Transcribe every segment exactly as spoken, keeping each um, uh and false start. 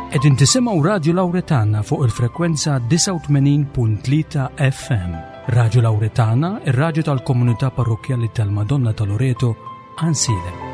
Qegħdin tisimgħu Radju Lawretana fuq il-frekwenza disgħa u tmenin punt tlieta F M. Radju Lawretana, ir-radju tal-komunità parrokkjali tal-Madonna ta' Loreto, Għajnsielem.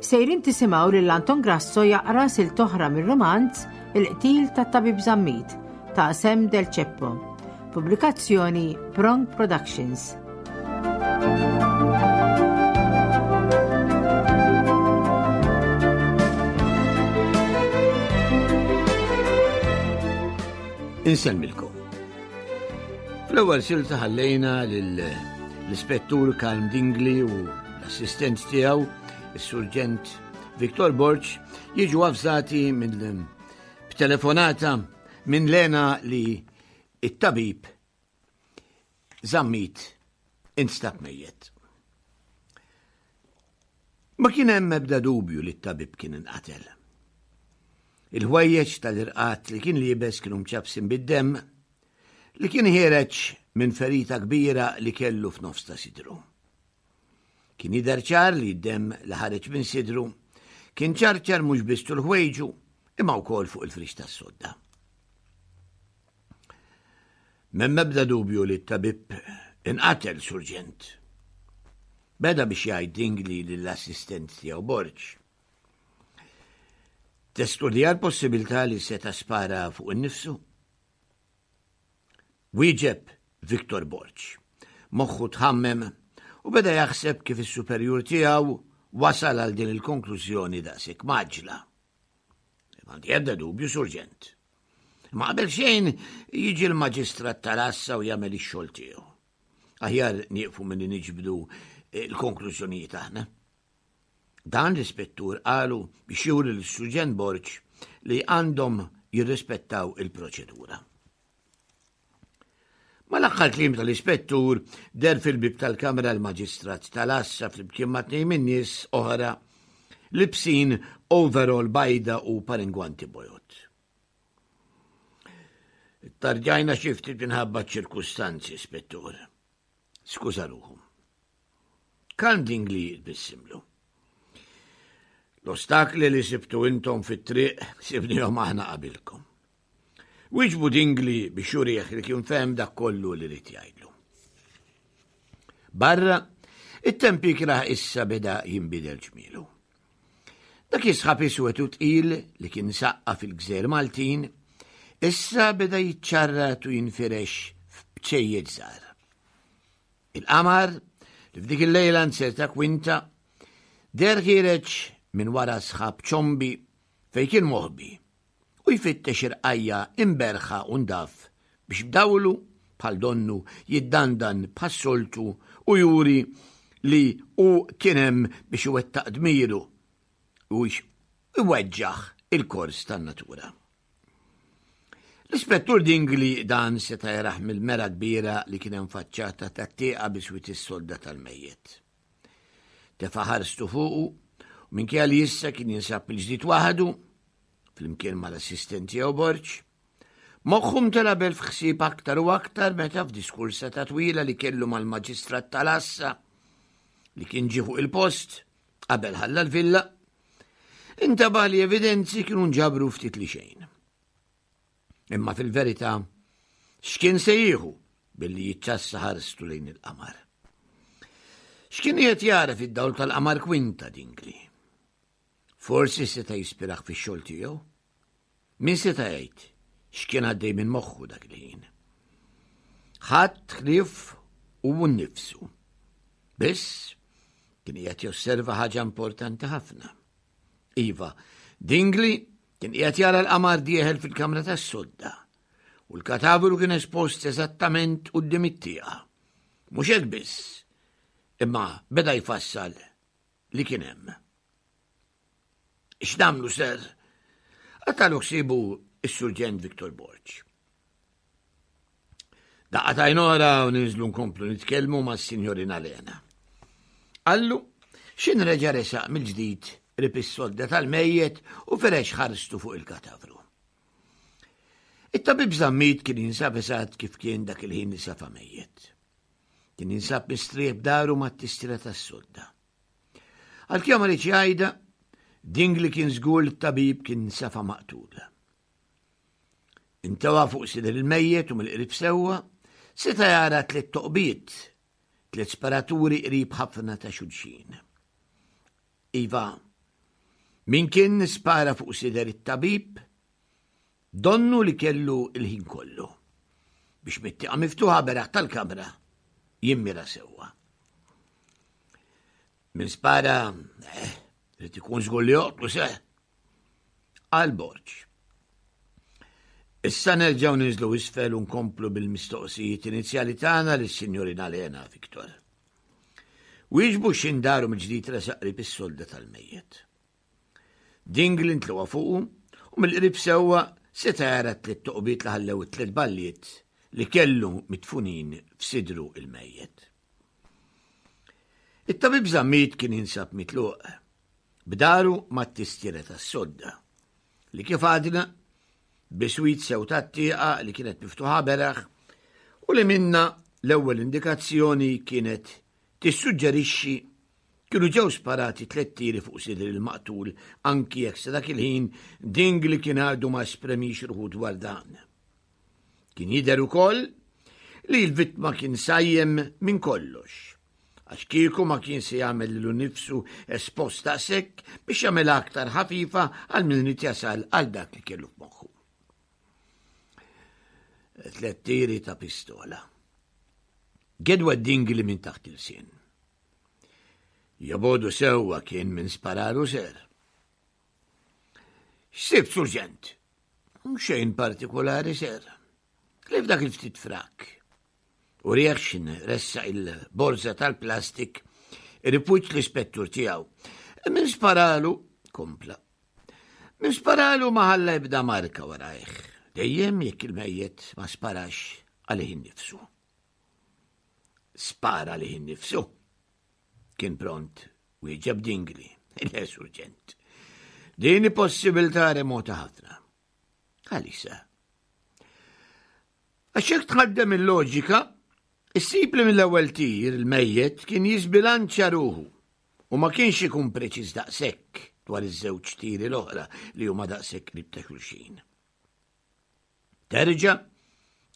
Sejrin tisimgħu lil Anton Grasso jaqra silt oħra mir-romanz Il-Qtil tat-Tabib Zammit ta' Sam Del Ceppo. Pubblikazzjoni Prong Productions. Insellmilkom. Fl-ewwel silta ħallejna lill-Ispettur Karm Dingli u l-assistent tiegħu, is-Surġent Victor Borg, jiġu avżati minn b'telefonata minn Lena li it-tabib Zammit instab mejjet. Ma kien hemm ebda dubju li t-tabib kien inqatel. Il-ħwejjeġ tal-irqat li kien liebes kienu mċabsin bid-demm li kien ħiereġ minn ferita kbira li kellu f'nofs ta' sidru. Kien jidher ċar li d-demm li ħareġ minn sidru kien ċarċar mhux biss tul ħwejġu imma wkoll fuq il-frix tas-sodda. M'hemm ebda dubju li t-tabib inqatel, Surġent. Beda biex jgħid Dingli lill-assistent tiegħu Borg. Testudja l-possibilità li seta' spara fuq innifsu? Wieġeb Victor Borg. Moħħu tħammem u beda jaħseb kif is-superjur tiegħu wasal għal din il-konklużjoni daqshekk maġla. M'għandi ebda dubju, Surġent. Ma qabel xejn jiġi l-maġistrat tal-għassa u jagħmel ix-xogħol tiegħu. Aħjar nieqfu milli niġbdu l-konklużjonijiet aħna. Dan l-ispettur qalu biex juri lis-Surġent Borg li għandhom jirrispettaw il-proċedura. Mal-aħħar kliem tal-ispettur der fil-bib tal-kamra l-maġistrat tal-għassa flimkien ma' tnejn min-nies oħra libsin overall bajda u paringwanti bojod. Tarġajna xi ftit minħabba ċirkustanzi, ispettur. Skuża ruħu. Karm Dingli tbissimlu. L-ostakli li sibtu intom fit-triq sibnihom aħna qabilkom. Wieġbu Dingli biex jurih li kien fehem dak kollu li rid jgħidlu. Barra, it-temp ikrah issa beda jinbidel ġmielu. Dak jisħab iswed u tqil li kien saqqa fil-gżejjer Maltin, issa beda jiċċarrat u jinfirex f'bċejjeġ żgħar. Il-qamar, li f'dik il-lejla nserta kwinta, der ħiereġ minn wara sħab ċombi fejn kien moħbi u jfittex irqajja imberħa u ndaf biex b'dawlu bħal donnu jiddandan bħas-soltu u juri li hu kien hemm biex iwettaq dmiru u iweġġaħ il-kors tan-natura. L-ispettur Dingli dan seta' jaraħ mill-mera kbira li kien hemm faċċata tat-tieqa biswit is-sodda tal-mejjet. Tefa' ħarstu fuqu u minkejja li issa kien jinsab il-ġdid waħdu flimkien mal-assistent tiegħu Borg, moħħu mtela bel f'ħsieb aktar u aktar meta f'diskursa ta' twila li kellu mal-maġistrat tal-għassa li kien ġie fuq il-post qabel ħalla l-villa, intabaħ li evidenzi kienu nġabru ftit li xejn. Imma fil-verità, x'kien se jieħu billi jiċċassa ħarstu lejn il-qamar? X'kien qed jara fid-dawl tal-qamar kwinta Dingli? Forsi seta' jispiraħ fix-xogħol tiegħu? Min seta' jgħid x'kien għaddej minn moħħu dak il-ħin? Ħadd ħlief u nnifsu. Biss kien qiegħed josserva ħaġa importanti ħafna. Iva, Dingli kien qiegħed jara l-qamar dieħel fil-kamra tas-sodda u l-katavru kien espost eżattament quddiem it-tieqa. Mhux hekk biss, imma beda jfassal li kien hemm. X'nagħmlu, ser? Għatalu ħsiebu s-Surġent Victor Borg. Daqqa t'għajn oħra u ninżlu nkomplu nitkellmu mas-Sinjorina Lena. Qallu, x'ħin reġa' resaq mill-ġdid qrib is-sodda tal-mejjet u ferex ħarstu fuq il-katavru. It-tabib Zammit kien jinsab eżatt kif kien dak il-ħin li safa mejjet. Kien jinsab mistrieħ b'dahru mat-tistira tas-sodda. Għalkemm ma riedx jgħidha, Dingli kien żgur li t-tabib kien safa maqtul. Intewa fuq sider il-mejjet u mill-qrib sewwa, seta' jara tliet toqbiet, tliet sparaturi qrib ħafna ta' xulxin. Iva, min kien spara fuq sider it-tabib, donnu li kellu il-ħin kollu biex mit-tieqa miftuħa beraħ tal-kamra jimmira sewwa. Min spara, eh, irid ikun żgur li joqtlu se. Qal Borg. Issa nerġgħu ninżlu isfel u nkomplu bil-mistoqsijiet inizjali tagħna lis-Sinjorina Lena Victor. Wieġbu x'ħin daru mill-ġdid resaq qrib is-sodda tal-mejjet. Dingli ntlewa fuqu u mill-qrib sewwa seta' jara tliet toqbiet li ħallew it-tliet balliet li kellu mitfunin f'sidru il-mejjet. It-tabib Zammit kien jinsab mitluq b'dahru mat-tistiera tas-sodda li kif għadna biswit sew tat-tieqa li kienet miftuħa beraħ u li minna l-ewwel indikazzjoni kienet tissuġġerixxi kienu ġew sparati tliet tiri fuq sider il-maqtul anki jekk sa dak il-ħin Dingli kien għadu ma esprimix ruħu dwar dan. Kien jidher ukoll li l-vittma kien sajjem minn kollox għax kieku ma kien se jagħmel lilu nnifsu espost daqshekk biex jagħmel aktar ħafifa għal min irid jasal għal dak li kellu f'moħħu. Tliet tiri ta' pistola. Gedwa Dingli minn taħt il-sin. Jobodu sewwa kien min sparalu ser. X'sibt, Surġent? Xejn partikolari, ser. Ħlief dak il-ftit frak. U reaction ressaq il-borza tal-plastik ripuċ l-ispettur tiegħu. Min sparalu, kompla. Min sparalu ma ħalla ebda marka warajh. Dejjem jekk il-mejjet ma sparax għalih innifsu. Spara għalih innifsu. Kien pront wieġeb Dingli, le surġent. Din possibilità remota ħafna. Għalissa. Għax jekk tħaddem il-loġika, issib li mill-ewwel tir il-mejjet kien jisbilanċja ruħu u ma kienx ikun preċiż daqshekk dwar iż-żewġ tiri l-oħra li huma daqshekk qrib ta' xulxin. Terġa',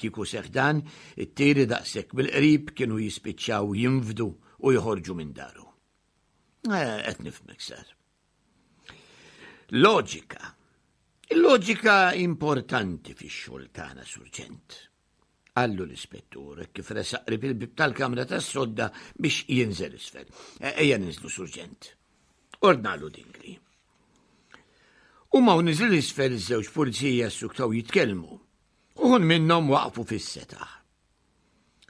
kieku seħħ dan, it-tiri daqshekk bil-qrib kienu jispiċċaw jinfdu u joħorġu minn dahru. Eh, qed nifhmek sar. Loġika. Il-loġika importanti fix-xogħol tagħna, surġent. Qallu l-ispettur kif resaq qrib il-bib tal-kamra tas-sodda biex jinżel isfel. E, ejja ninżlu, surġent. Ordnalu Dingli. U ma niżel isfel iż-żewġ pulizija ssuktaw jitkellmu. Uħud minnhom waqfu fis-setaħ.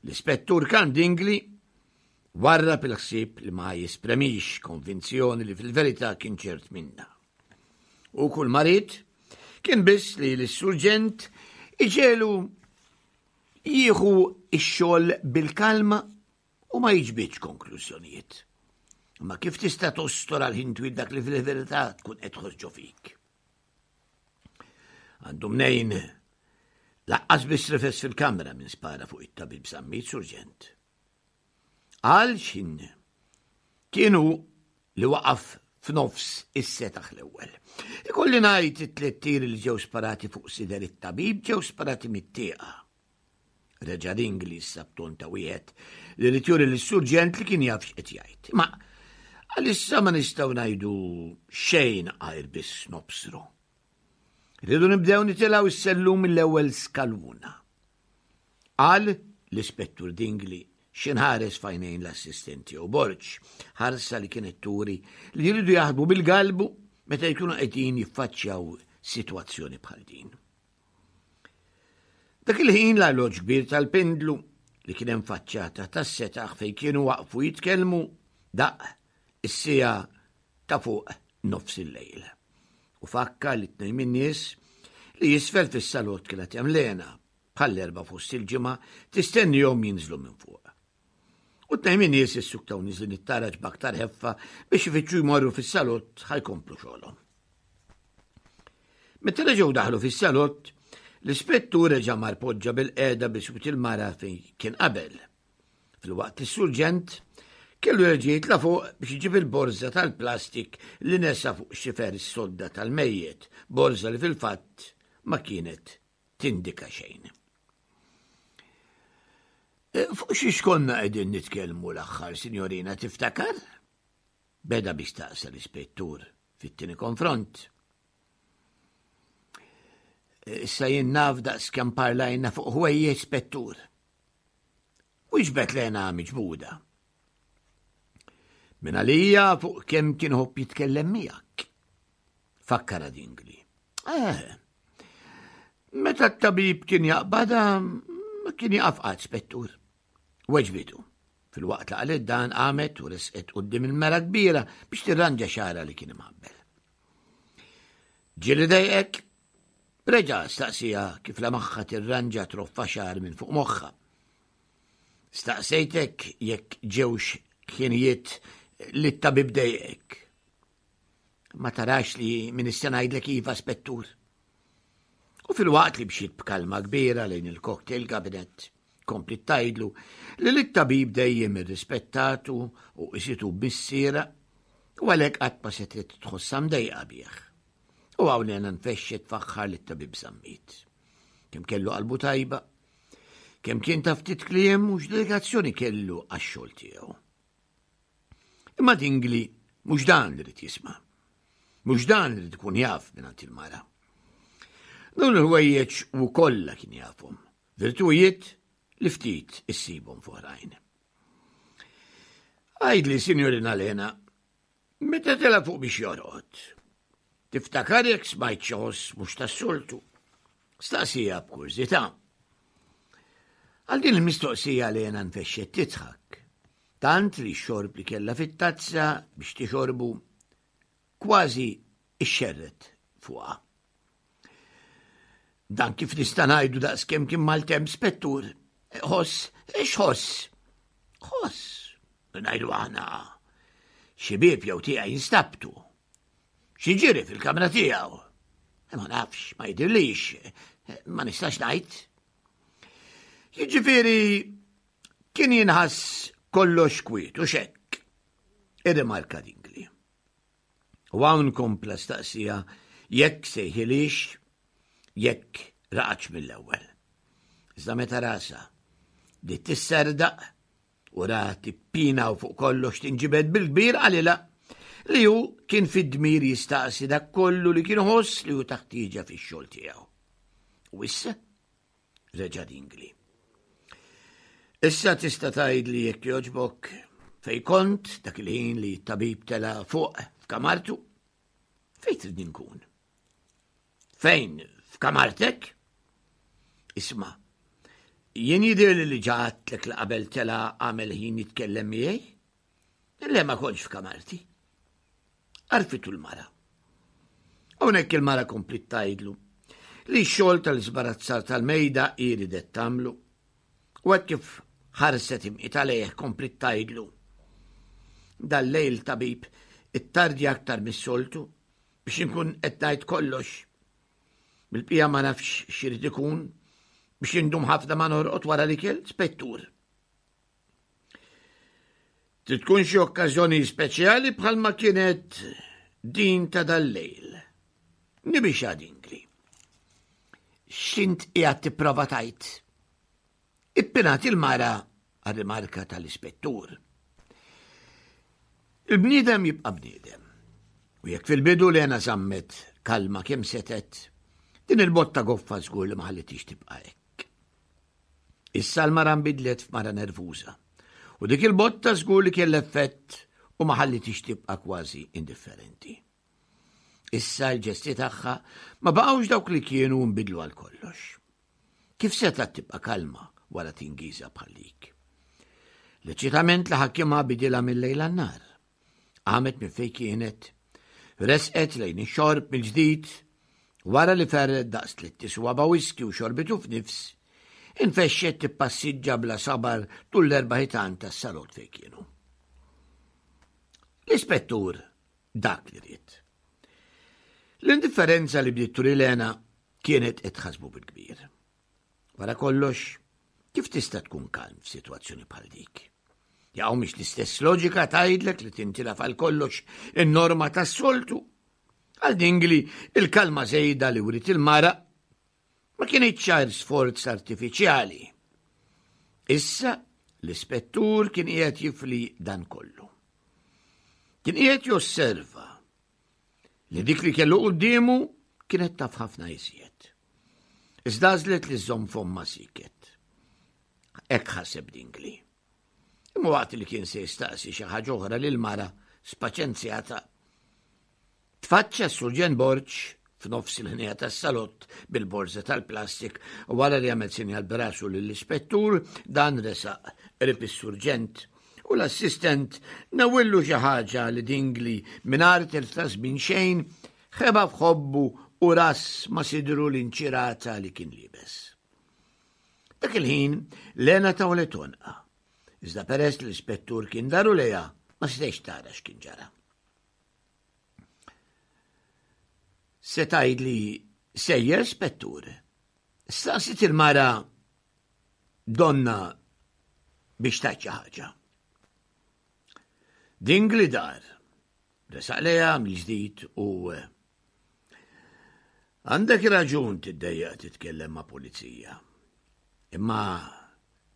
L-ispettur kan Dingli warrab il-ħsieb li ma jespremix konvinzjoni li fil-verità kien ċert minna. U kull ma ried kien biss li l-surġent iġegħlu jieħu ix-xogħol bil-kalma u ma jiġbidx konklużjonijiet. Ma kif tista' tostor għal ħin twil dak li fil-verità tkun qed tħoss fik? Għandu mnejn laqqas biss rifes fil-kamra minn spara fuq it-tabib Zammit surġent. Għal xin kienu li waqaf f'nofs is-setaħ l-ewwel. Ikolli ngħid it-tliet tiri li ġew sparati fuq sider it-tabib ġew sparati mit-tieqa. Reġa' Dingli issa b'ton ta' wieħed li ried juri lis-surġent li kien jaf x'qed jgħid. Ma għalissa ma nistgħu ngħidu xejn għajr biss nobsru. Rridu nibdew nitilgħu s-sellum mill-ewwel skaluna. Qal l-ispettur Dingli x'ħin ħares f'għajnejn l-assistenti u Borg, ħarsa li kienet turi li jridu jaħdmu bil-galbu meta jkunu qegħdin jiffaċċjaw sitwazzjoni bħal din. Dak il-ħin l-arloġġ kbir tal-pindlu li kien hemm faċċata tas-setaħ fejn kienu waqfu jitkellmu daqq is-siegħa ta' fuq nofs il-lejl. U fakkar li tnejn min-nies li isfel fis-salott kienet hemm Lena. bħall-erba' fost il-ġimgħa tistennihom jinżlu minn fuq. U tnejn minn nies issuktaw niżlin it-taraġ b'aktar ħeffa biex ifittxu jmorru fis-salott ħa jkomplu xogħolhom. Meta reġgħu daħlu fis-salott, l-ispettur reġa' mar poġġa bil-qiegħda biswit il-mara fejn kien qabel. Filwaqt li s-surġent kellu jerġa' jitla' fuq biex iġib il-borża tal-plastik li nesa fuq xifer is-sodda tal-mejjet, borża li fil-fatt ma kienet tindika xejn. E, fuq xiex konna qegħdin nitkellmu l-aħħar, sinjorina, tiftakar? Beda biex staqsa l-ispettur fit-tieni konfront. Issa jien naf daqs kemm parlajna fuq ħwejjeġ, spettur. Wieġbet Lena miġbuda. Min għalija fuq kemm kien iħobb jitkellem miegħek. Fakkara Dingli. Eh, meta t-tabib kien jaqbada, ma kien jaqaf qatt, spettur. Weġbitu. Filwaqt li qalet dan qamet u resqet quddiem il-mera kbira biex tirranġa xagħarha li kien imħabbel. Ġieli dejqek? Reġa' staqsija kif lemaħha tirranġa troffa xagħar minn fuq moħħha. Staqsejtek jekk ġewx ħinijiet li t-tabib dejqek. Ma tarax li min issa ngħidlek iva, spettur. U filwaqt li mxiet b'kalma kbira lejn il-cocktail cabinet, kompliet tgħidlu li lit-tabib dejjem irrispettatu u qisitu missiera u għalhekk qatt ma setgħet tħossha mdejqa bih. U hawn Lena nfexxet tfaħħar lit-tabib Zammit. Kemm kellu qalbu tajba, kemm kien ta' ftit kliem u x'dedikazzjoni kellu għax-xogħol tiegħu. Imma Dingli mhux dan li ried jisma'. Mhux dan li ried ikun jaf mingħand il-mara. Dawn il-ħwejjeġ u kollha kien jafhom, virtujiet li ftit issibhom f'oħrajn. Għidli, sinjorina Lena, meta tela' fuq biex jorqod, tiftakar jekk smajt xi ħoss mhux tas-soltu? Staqsija b'kurżità. Għal din il-mistoqsija Lena nfexxet tidħak, tant li x-xorb li kellha fit-tazza biex tixorbu kważi ixxerret fuqha. Dan kif nista' ngħidu daqs kemm kien maltemp, spettur. Ħoss, x'ħoss? Ħoss, ngħidu aħna. Xi bieb jew tieqa jinstabtu. Xi ġiri fil-kamra tiegħu. Ma nafx, ma jidhirlix, ma nistax ngħid. Jiġifieri kien jinħass kollox kwiet u xekk. Irrimarka Dingli. U hawn kompla staqsija jekk sejħilix, jekk raqadx mill-ewwel. Iżda meta rasha bdiet tisserdaq u ra tippina u fuq kollox tinġibed bil-kbir qalilha li hu kien fid-dmir jistaqsi dak kollu li kien ħoss li hu taħtieġa fix-xogħol tiegħu. U issa reġa' Dingli. Issa tista' tgħidli jekk jogħġbok fej kont dak il-ħin li t-tabib tela' fuq f'kamartu? Fejn trid nkun? Fejn? F'kamartek? Isma', jien jidhirli li ġa għedtlek li qabel tela' għamel ħin jitkellem miegħi? Le ma kontx f'kamarti. Għarfitu l-mara. Hawnhekk il-mara kompliet tgħidlu li x-xogħol tal-iżbarazzar tal-mejda hi ridet tagħmlu. U hekk kif ħarset imqita lejh kompliet tgħidlu. Dal-lejl tabib ittardja aktar mis-soltu biex inkun qed ngħid kollox. Bil-bqija ma nafx x'irid ikun biex indum ħafna ma norqod wara l-ikel, spettur. Trid tkun xi okkażjoni speċjali bħalma kienet din ta' dal-lejl. Nibixha Dingli. X'int qiegħed tipprova tgħid? Ippinat il-mara għar-rimarka tal-ispettur. Il-bniedem jibqa' bniedem. U jekk fil-bidu Lena żammet kalma kemm setgħet, din il-botta goffa żgur li ma ħallitix tibqa' hekk. Issa l-mara nbidlet f'mara nervuża. U dik il-botta żgur li kellha effett u ma ħallitix tibqa' kważi indifferenti. Issa l-ġesti tagħha ma baqgħux dawk li kienu nbidlu għal kollox. Kif setgħet tibqa' kalma wara tingiża bħal dik? L-eċitament li ħakimha bidilha mill-lejl għan-nhar. Qamet minn fejn kienet, resqet lejn ix-xorb mill-ġdid, wara li ferret daqs tliet tiswaba whisky u xorbitu f'nifs, infexxet tippassiġġa bla sabar tul l-erba' ħitan tas-salott fejn kienu. L-ispettur dak li ried. L-indifferenza li bdiet turi Lena kienet qed tħassbu bil-kbir. Wara kollox, kif tista' tkun kalm f'sitwazzjoni bħal dik? Jaqaw mhix l-istess loġika tgħidlek li tintilaf għal kollox in-norma tas-soltu. Għal Dingli il-kalma żejda li writ il-mara ma kienx ċar sforz artifiċjali. Issa l-ispettur kien qiegħed jifli dan kollu. Kien qiegħed josserva li dik li kellu quddiemu kienet taf ħafna iżjed. Iżda għażlet li żżomm fomma siket. Hekk ħaseb Dingli. Imma waqt li kien se jistaqsi xi ħaġa oħra lil mara spaċenzjata, tfaċċa s-Surġent Borg f'nofs il-ħnija tas-salott bil-borża tal-plastik u wara li għamel sinjal b'rasu lill-ispettur, dan resaq qrib is-surġent u l-assistent nawillu xi ħaġa li Dingli mingħajr telf ta' żmien xejn ħeba f'ħobbu u ras ma' sidru l-inċirata li kien liebes. Dak il-ħin Lena tawlet għonqha. Iżda peress li l-ispettur kien daru lejha ma setax tara x'kien ġara. Se tgħidli sejjer spettur? Staqsit il-mara donna biex tgħid xi ħaġa. Dingli dar, resaq lejha mill-ġdid u għandek raġun tiddejjaq titkellem ma' pulizija. Imma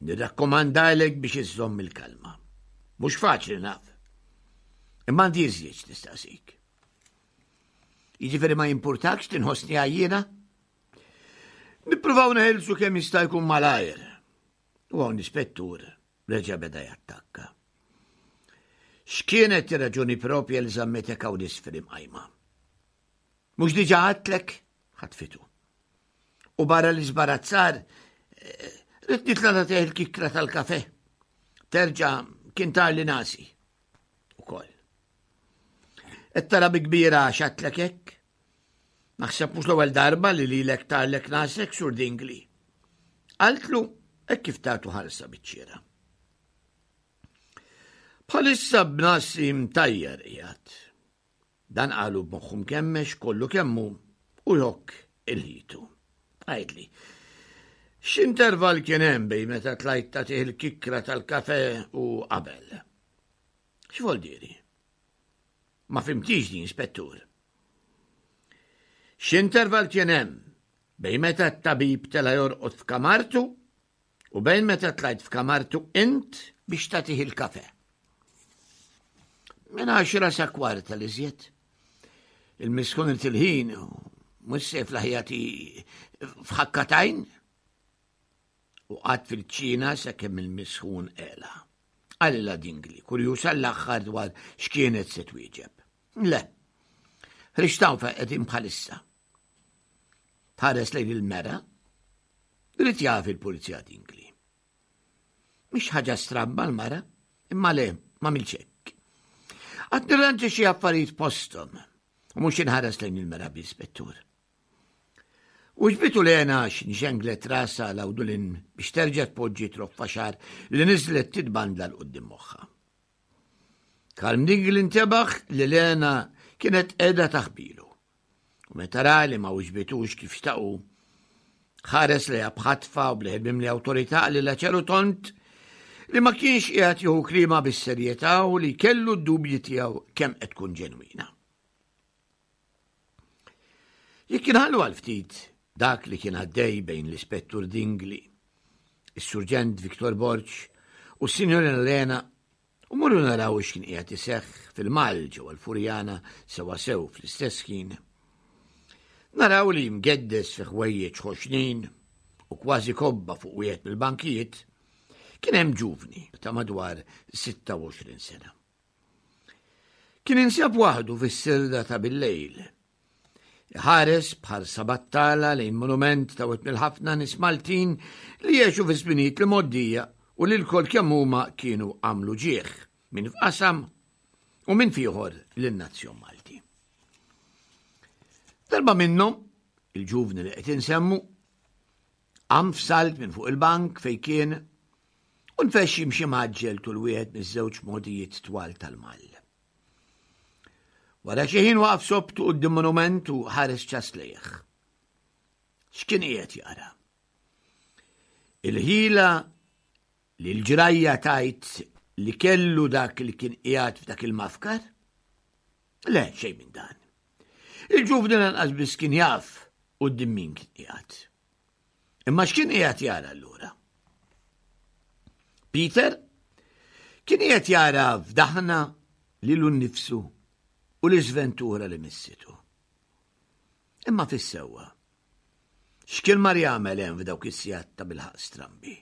nirrakkomandalek biex iżżomm il-kalma. Mhux faċli naf. Imma għandi iżjed tistaqsik. Jiġifieri ma jimpurtakx tinħossni għajjiena? Nippruvaw neħelsu kemm jista' jkun malajr. U hawn l-ispettur reġa' beda jattakka. X'kienet ir-raġuni propja li żammetek hawn isfel imqajma? Mhux diġà għadtlek? Ħatfitu. U barra li żbarazzar, rrid nitla' nagħtih il-kikra tal-kafè. Terġa' kien tarli nasi. Ukoll. Qed tara bi kbira x'għadtlek hekk? Naħseb mhux l-ewwel darba li lilek tarlek nasek Sur Dingli. Qaltlu hekk kif tagħtu ħarsa biċ-ċiera. Bħalissa b'nasi mtajjar qiegħed. Dan qalu b'moħħu mkemmex kollu kemmu u jokk il-ħitu. Għidli, x'interval kien hemm bejn meta tlajt tagħtih il-kikra tal-kafè u qabel? X'vol diri? Ma fimtix din, spettur. X'interval kien hemm bejn meta t-tabib tela jorqod f'kamartu u bejn meta tlajt f'kamartu int biex tagħtih il-kafè? Minn għaxra sa kwarta li żjed. Il-miskun il-ħin mhux se fl-ħajati f'ħakkatajn u qatt fil-ċina sakemm il-misħun qela. Qalilha Dingli, kurjuż għall-aħħar dwar x'kienet se twieġeb. Le, ħriġtaw fejn qegħdin bħalissa. Tħares lejn il-mera, rrid jaf il-pulizija Dingli. Mhix ħaġa stramba l-mara, imma le, ma milx hekk. Qatt nirranġa xi affarijiet posthom u mhux inħares lejn il-mera bl-ispettur. U ġbitu Lena x'nxenglet rasha l-awdulin biex terġa' tpoġġi troffa xagħar li niżlet titbandla l quddiem moħħha. Kalm Dingli intebaħ li Lena kienet qiegħda taħbilu. U meta ra li ma wiġbitux kif xtaqu, ħares lejha b'ħatfa u bl-ħin mimli awtorità lilha ċaru tont li ma kienx qiegħed jieħu klima bis-serjetà u li kellu d-dubji tiegħu kemm qed tkun ġenwina. Jekk inħallu għal ftit dak li kien għaddej bejn l-Ispettur Dingli, is-Surġent Victor Borg u s-Sinjorina Lena u morru naraw x'kien qiegħed iseħħ fil-Mal ġewwa l-Furjana sewwasew fl-istess ħin. Naraw li mgeddes fi ħwejjeġ ħoxnin u kważi kobba fuq wieħed mill-bankijiet kien hemm ġuvni ta' madwar sitta u għoxrin sena. Kien insab waħdu fis-sirda ta' bil-lejl. Ħares bħarsa battala lejn monument ta' wieħed mill-ħafna nies Maltin li jgħixu fi żminijiet li moddija u li l-kol kemm huma kienu għamlu ġieħ minn f'qasam u minn fieħor lin-nazzjon Malti. Darba minnhom, il-ġuvni li qed insemmu, Qam f'salt minn fuq il-bank fejn kien u nfexx jimxi mgħaġġel tul wieħed miż-żewġ mogħdijiet twal tal-Mall. Wara xi ħin waqaf sobtu quddiem monument u ħares ċass lejh. X'kien qiegħed jara? Il-ħila li l-ġrajja tajt li kellu dak li kien qiegħed f'dak il-mafkar? Le, xejn minn dan. Il-ġuvni lanqas biss kien jaf quddiem min kien qiegħed. Imma x'kien qiegħed jara allura? Peter kien qiegħed jara f'daħna lilu nnifsu u l-iżventura li missitu. Imma fis-sewwa, x'kien mar jagħmel hemm f'dawk is-sigħat ta' bilħaq strambi?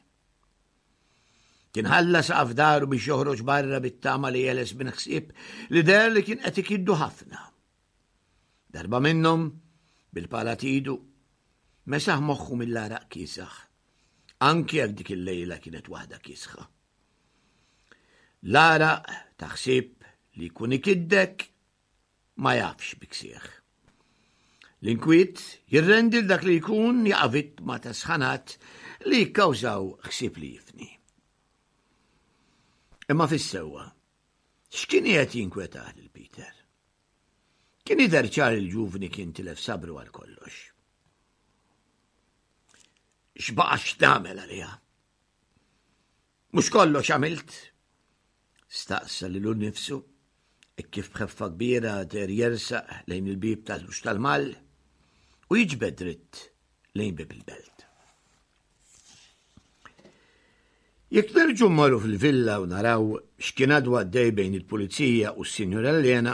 Kien ħalla saqaf daru biex joħroġ barra bit-tama li jeles minn ħsieb li deher li kien qed ikiddu ħafna. Darba minnhom, bil-pala t'idu, mesaħ moħħu mill-għaraq kiesaħ, anki jekk dik il-lejla kienet waħda kiesħa. L-għaraq ta' ħsieb li jkun ikiddek ma jafx bi ksieħ. L-inkwiet jirrendi l dak li jkun jaqa' vittma ta' sħanat li jikkawżaw ħsieb li jifni. Imma fis-sewwa, x'kien qiegħed jinkwetah lil Peter? Kien jidher ċar il-ġuvni kien tilef sabru għal kollox. X'baqa' x'tagħmel għaliha? Mhux kollox għamilt? Staqsa lilu nnifsu hekk kif b'ħeffa kbira deher jersaq lejn il-bieb tal-ħruġ tal-Mall u jiġbed dritt lejn bieb il-belt. Jekk nerġgħu mmorru fil-villa u naraw x'kien għadu għaddej bejn il-pulizija u s-Sinjura Lena,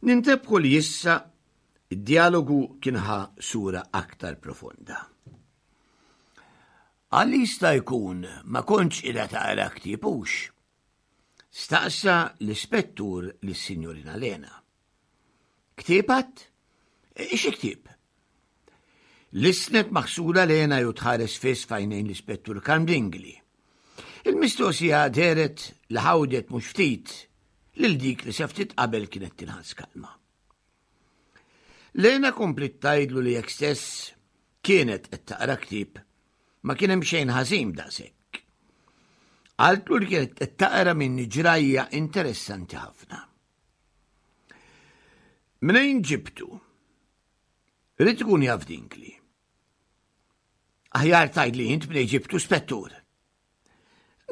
nintebħu li issa id-dialogu kien ħa sura aktar profonda. Għal jista' jkun ma kontx qiegħda taqra ktieb hux? Staqsa l-ispettur lis-Sinjurina Lena. Ktieb għadd? Xi ktieb? Lissnet maħsula Lena ju tħares fiss f'għajnejn l-ispettur Karm Dingli. Il-mistoqsija dehret li ħawdet mhux ftit lil dik li sa ftit qabel kienet tinħass kalma. Lena kompliet tgħidlu li jekk stess kienet qed taqra ktieb ma kien hemm xejn ħażin daqshekk. Qaltlu li kienet qed taqra minn ġrajja interessanti ħafna. Mnejn ġibtu? Ried ikun jaf Dingli. Aħjar tgħidli int mnejn ġibtu spettur.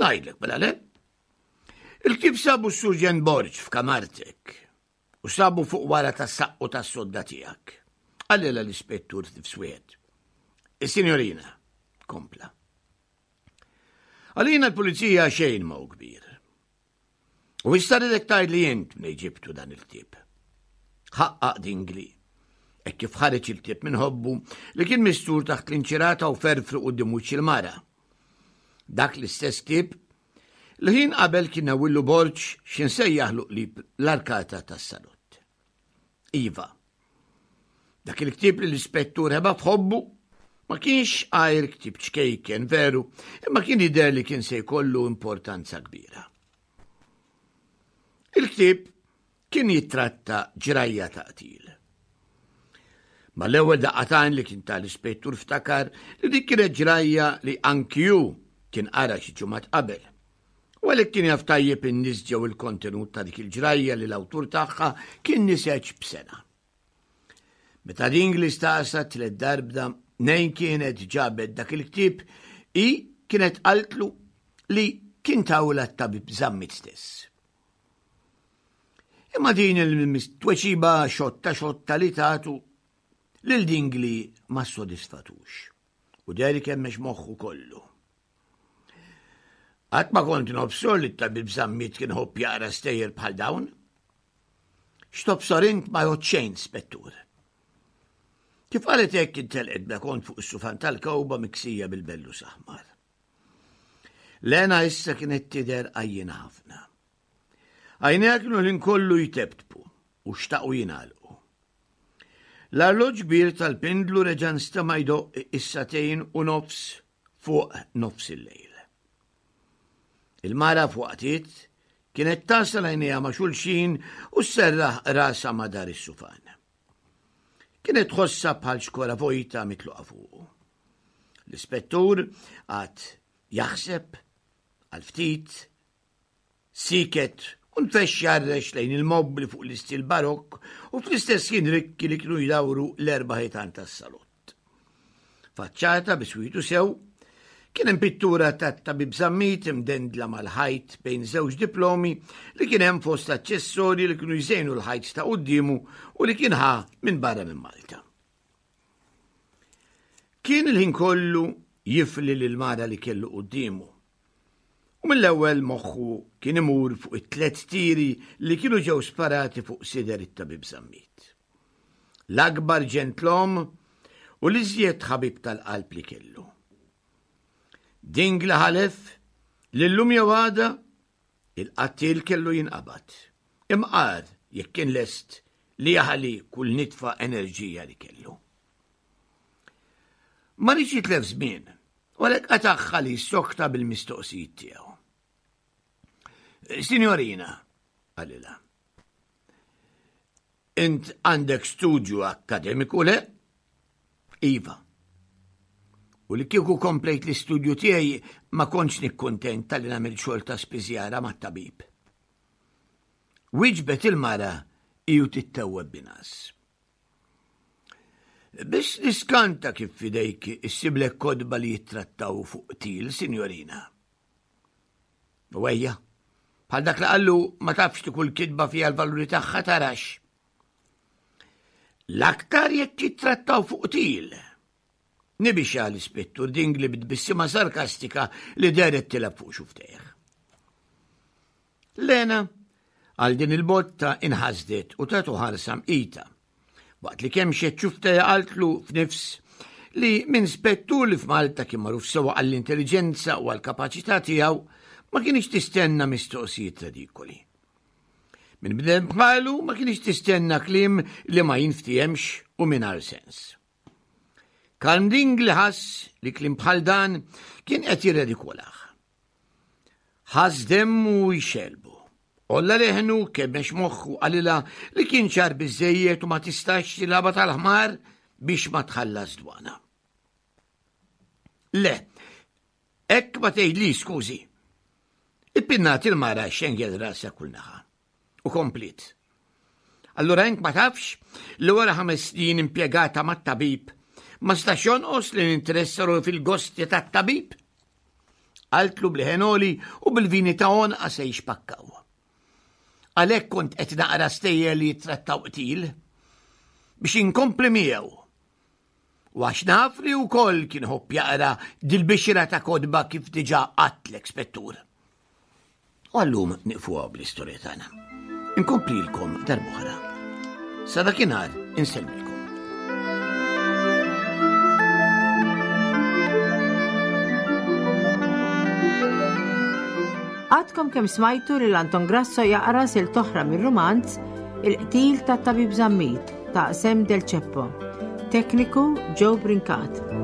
Ngħidlek mela le. Il-ktieb sabu s-Surġent Borg f'kamartek u sabu fuq wara tas-saqqu tas-sodda tiegħek. Qalilha l-ispettur f'nifs wieħed. Is-sinjorina, kompla. Għalina l-pulizija xejn ma hu kbir. U issa rridek tgħidli int mnejn ġibtu dan il-ktieb. Ħaqqaq Dingli. Hekk kif ħareġ il-ktieb minn ħobbu li kien mistur taħt l-inċirata u ferfru quddiem wiċċ il-mara. Dak l-istess ktieb li ħin qabel kien nawillu Borg x'insejjaħlu qrib l-arkata tas-salott. Iva, dak il-ktieb li l-ispettur ħeba f'ħobbu ma kienx għajr ktieb ċkejken veru, imma kien jidher li kien se jkollu importanza kbira. Il-ktieb kien jittratta ġrajja ta' qtil. Mal-ewwel daqqa t'għajn li kien tal-ispettur ftakar li dik kienet ġrajja li anki hu kien qara xi ġimgħat qabel. U għalhekk kien jaf tajjeb in-nies ġew il-kontenut ta' dik il-ġrajja li l-awtur tagħha kien niseġ b'sena. Meta Dingli staqsa tliet darbda nejn kienet ġabet dak il-ktieb, hi kienet qaltlu li kien tawla t-tabib Zammit stess. Imma din il-tweġiba xotta xotta li tatu lil Dingli ma ssodisfatux u deher kemmex moħħu kollu. Qatt ma kont nobsor li t-tabib Zammit kien ħobb jaqra stejjer bħal dawn. X'tobsor int ma jgħod xejn, spettur. Kif qalet hekk intelqet bla kont fuq is-sufan tal-kewba miksija bil-bellus aħmar. Lena issa kienet tidher għajjiena ħafna. Għajnejha kienu l-ħin kollu jtebtbu u xtaqu jingħalqu. L-arloġġ kbir tal-pindlu reġa' nstema' jdoqq is-sagħtejn u nofs fuq nofs il-lejl. Il-mara f'waqtiet kienet tasal għajnejha ma' xulxin u sserraħ rasha ma' dar is-sufan. Kienet tħossha bħal xkora vojta mitluqa fuqu. L-ispettur qagħad jaħseb għal ftit, siket u nfexx jgħarrex lejn il-mobli fuq l-istil barokk u fl-istess ħin rikki li kienu jdawru l-erba' ħitan tas-salott. Faċċata biswitu sew, kien hemm pittura tat-tabib Zammit imdendla mal-ħajt bejn żewġ diplomi li kien hemm fost aċċessorji li kienu jżejnu l-ħajt ta' quddiemu u li kien ħa minn barra minn Malta. Kien il-ħin kollu jifli lil mara li kellu quddiemu. U mill-ewwel moħħu kien imur fuq it-tliet tiri li kienu ġew sparati fuq sider it-tabib Zammit. L-akbar ġentlom u l-iżjed ħabib tal-qalb li kellu. Dingli ħalef li llum jew għada il-qattil kellu jinqabad. Imqar jekk kien lest li jaħli kull nitfa enerġija li kellu. Ma riedx jitlef żmien, u għalhekk qatagħha li sokta bil-mistoqsijiet tiegħu. Signorina, qalilha, int għandek studju akkademiku le? Iva. U li kieku komplejt l-istudju tiegħi ma kontx nikkuntenta li nagħmel xogħol ta' spiżjara mat-tabib. Wieġbet il-mara iju tittewweb binas. Biss niskanta kif fidejk issiblek kotba li jittrattaw fuq qtil, signorina. U ejja, bħal dak li qallu ma tafx li kull kitba fiha l-valuri tagħha tarax. L-aktar jekk jittrattaw fuq qtil. Nibixa l-ispettur Dingli b'tbissima sarkastika li dehret tilgħab fuq xufftejh. Lena, għal din il-botta inħasdet u tatu ħarsa mqita. Waqt li kemmxet xufftejha qaltlu f'nifs li minn spettur li f'Malta kien magħruf sewa għall-intelliġenza u għall-kapaċità tiegħu ma kienx tistenna mistoqsijiet redikoli. Minn bniedem bħalu ma kienx tistenna kliem li ma jinftihemx u mingħajr sens. Karm Dingli ħass li kliem bħal dan kien qed jirredikolah. Ħass demmu jxelbu. Għolla leħnu kemmex moħħu qalilha li kien ċar biżżejjed u ma tistax tilgħabha tal-ħmar biex ma tħallas dwana. Le, hekk ma tgħidli skużi. Ippinnat il-mara xengel rasa kull naħa. U komplit. Allura int ma tafx li wara ħames snin impjegata mat-tabib ma stax jonqos li ninteressa ruħi fil-gosti tat-tabib? Qaltlu bl-ħenoli u bil-vini ta' għonqa se jixpakkaw. Għalhekk kont qed naqra stejjer li jittrattaw qtil biex inkompli miegħu. U għax naf li wkoll kien ħobb jaqra dil-bixra ta' kotba kif diġà qatlek spettur. U għallum nieqfu bl-istorja tagħna. Inkomplilkom darb'oħra. Sa dakinhar insellmilkom. Għadkom kemm smajtu lil Anton Grasso jaqra silta oħra mir-rumanz Il-qtil tat-tabib Zammit ta' Sam Del Ceppo. Tekniku Joe Brincat.